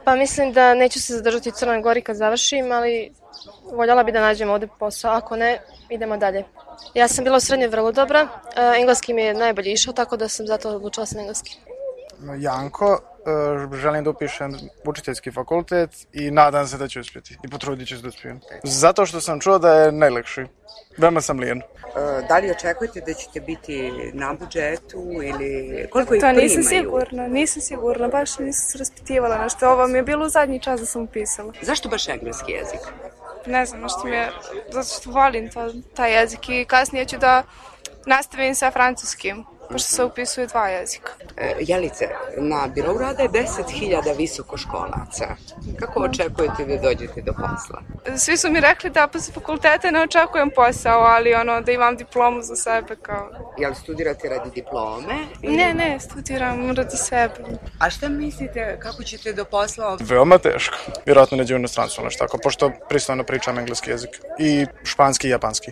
Pa mislim da neću se zadržati u Crnoj Gori kad završim, ali voljela bi da nađem ovde posao. Ako ne, idemo dalje. Ja sam bila u srednjoj vrlo dobra, engleski mi je najbolje išao, tako da sam zato odlučila se na engleski. Janko, želim da upišem učiteljski fakultet i nadam se da ću uspjeti i potrudit ću se da uspijem. Zato što sam čuo da je najlakši. Veoma sam lijen. Da li očekujete da ćete biti na budžetu ili koliko ih To primaju? nisam sigurna, baš nisam se raspitivala nešto. Ovo mi je bilo u zadnji čas da sam upisala. Zašto baš engleski jezik? Ne znam, zato što volim taj jezik i kasnije ću da nastavim sa francuskim, pošto se upisuje 2 jezika. Jelice, na birou rada je 10.000 visokoškolaca. Kako očekujete da dođete do posla? Svi su mi rekli da posle fakulteta ne očekujem posao, ali da imam diplomu za sebe kao... Jel studirate radi diplome? Ne, studiram radi sebe. A šta mislite, kako ćete do posla? Veoma teško. Vjerojatno neđe u inostranstvu nešto tako, pošto pristojno pričam engleski jezik i španski i japanski.